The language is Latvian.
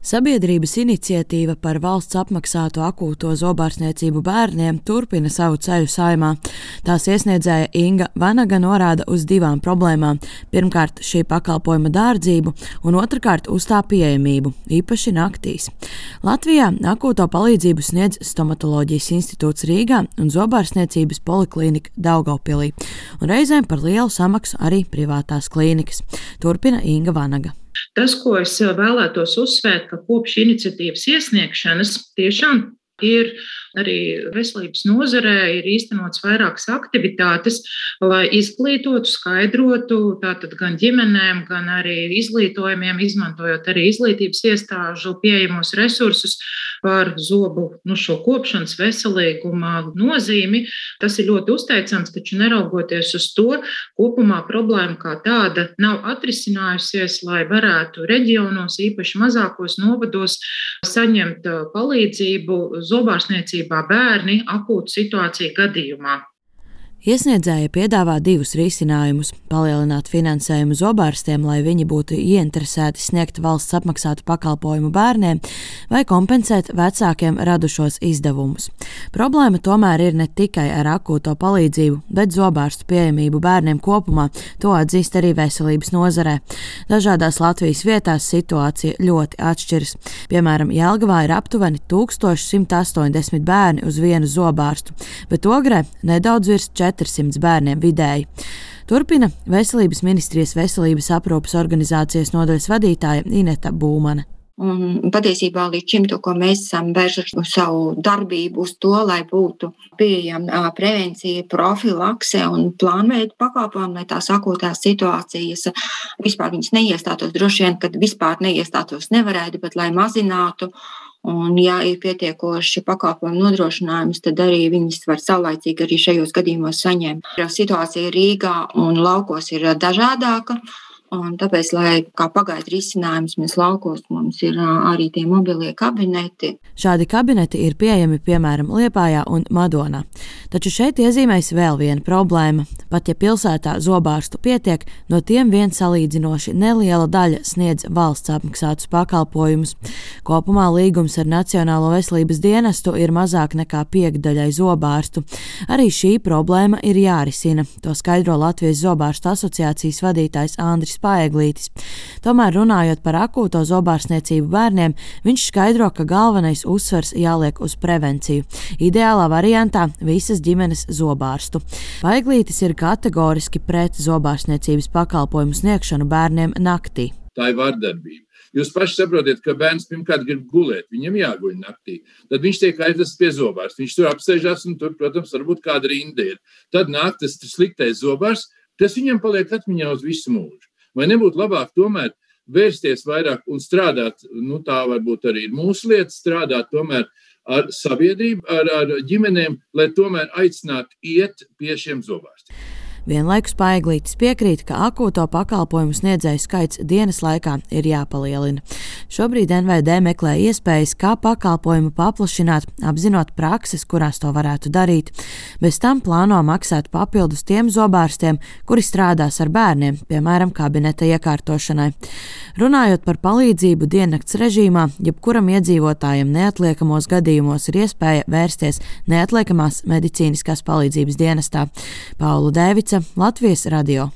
Sabiedrības iniciatīva par valsts apmaksātu akūto zobārstniecību bērniem turpina savu ceļu Saeimā. Tās iesniedzēja Inga Vanaga norāda uz divām problēmām. Pirmkārt, šī pakalpojuma dārdzību, un otrkārt, uz tā pieejamību, īpaši naktīs. Latvijā akūto palīdzību sniedz Stomatoloģijas institūts Rīgā un zobārstniecības poliklīnika Daugavpilī, un reizēm par lielu samaksu arī privātās klīnikas. Turpina Inga Vanaga. Tas, ko es vēlētos uzsvērt, ka kopš iniciatīvas iesniegšanas tiešām ir arī veselības nozarē ir īstenots vairākas aktivitātes, lai izglītotu, skaidrotu tātad gan ģimenēm, gan arī izglītojumiem, izmantojot arī izglītības iestāžu pieejamos resursus par zobu šo kopšanas veselīguma nozīmi. Tas ir ļoti uzteicams, taču neraugoties uz to, kopumā problēma kā tāda nav atrisinājusies, lai varētu reģionos, īpaši mazākos novados, saņemt palīdzību zobārstniecībā bērni akūtu situāciju gadījumā. Iesniedzēja piedāvā divus risinājumus – palielināt finansējumu zobārstiem, lai viņi būtu ieinteresēti sniegt valsts apmaksātu pakalpojumu bērniem, vai kompensēt vecākiem radušos izdevumus. Problēma tomēr ir ne tikai ar akūto palīdzību, bet zobārstu pieejamību bērniem kopumā, to atzīst arī veselības nozarē. Dažādās Latvijas vietās situācija ļoti atšķiras. Piemēram, Jelgavā ir aptuveni 1180 bērni uz vienu zobārstu, bet Ogrē nedaudz virs 400 bērniem vidēji. Turpina Veselības ministrijas veselības aprūpes organizācijas nodaļas vadītāja Ineta Būmane. Un patiesībā līdz šim, ko mēs esam vērsuši savu darbību uz to, lai būtu pieejama prevencija, profilakse un plānveida pakalpojumi, lai tās akūtās situācijas vispār viņas neiestātos. Droši vien, kad vispār neiestātos nevarētu, bet lai mazinātu. Un, ja ir pietiekoši pakalpojumu nodrošinājums, tad arī viņas var saulaicīgi arī šajos gadījumos saņemt. Situācija Rīgā un laukos ir dažādāka. Un tāpēc, lai kā pagaidu risinājums mēs laukos, mums ir arī tie mobilie kabineti. Šādi kabineti ir pieejami piemēram Liepājā un Madonā. Taču šeit iezīmēs vēl viena problēma. Pat ja pilsētā zobārstu pietiek, no tiem vien salīdzinoši neliela daļa sniedz valsts apmaksātus pakalpojumus. Kopumā līgums ar Nacionālo veselības dienestu ir mazāk nekā piekdaļai zobārstu. Arī šī problēma ir jārisina. To skaidro Latvijas zobārstu asociācijas vadītājs Andris Paeglītis. Tomēr runājot par akūto zobārstniecību bērniem, viņš skaidro, ka galvenais uzsvers jāliek uz prevenciju. Ideālā variantā visas ģimenes zobārstu. Paeglītis ir kategoriski pret zobārstniecības pakalpojumu sniegšanu bērniem naktī. Tā ir vardarbība. Jūs paši saprotiet, ka bērns pirmkārt grib gulēt, viņam jāguļ naktī. Tad viņš tiek aizvests pie zobārsta. Viņš tur apsēžās un tur, protams, varbūt kāda rinda ir. Tad nāk tas sliktais zobārsts, tas viņam paliek atmiņā uz visu mūžu. Vai nebūtu labāk tomēr vērsties vairāk un strādāt, tā varbūt arī ir mūsu lieta, strādāt tomēr ar sabiedrību, ar ģimenēm, lai tomēr aicinātu iet pie šiem zobārstiem. Vienlaikus Paeglītis piekrīt, ka akūto pakalpojumu sniedzēju skaits dienas laikā ir jāpalielina. Šobrīd NVD meklē iespējas, kā pakalpojumu paplašināt, apzinot prakses, kurās to varētu darīt. Bez tam plāno maksāt papildus tiem zobārstiem, kuri strādās ar bērniem, piemēram, kabineta iekārtošanai. Runājot par palīdzību diennakts režīmā, jebkuram iedzīvotājam neatliekamos gadījumos ir iespēja vērsties neatliekamās medicīniskās palīdzības dienestā. Paula Dēvica, Latvijas radio.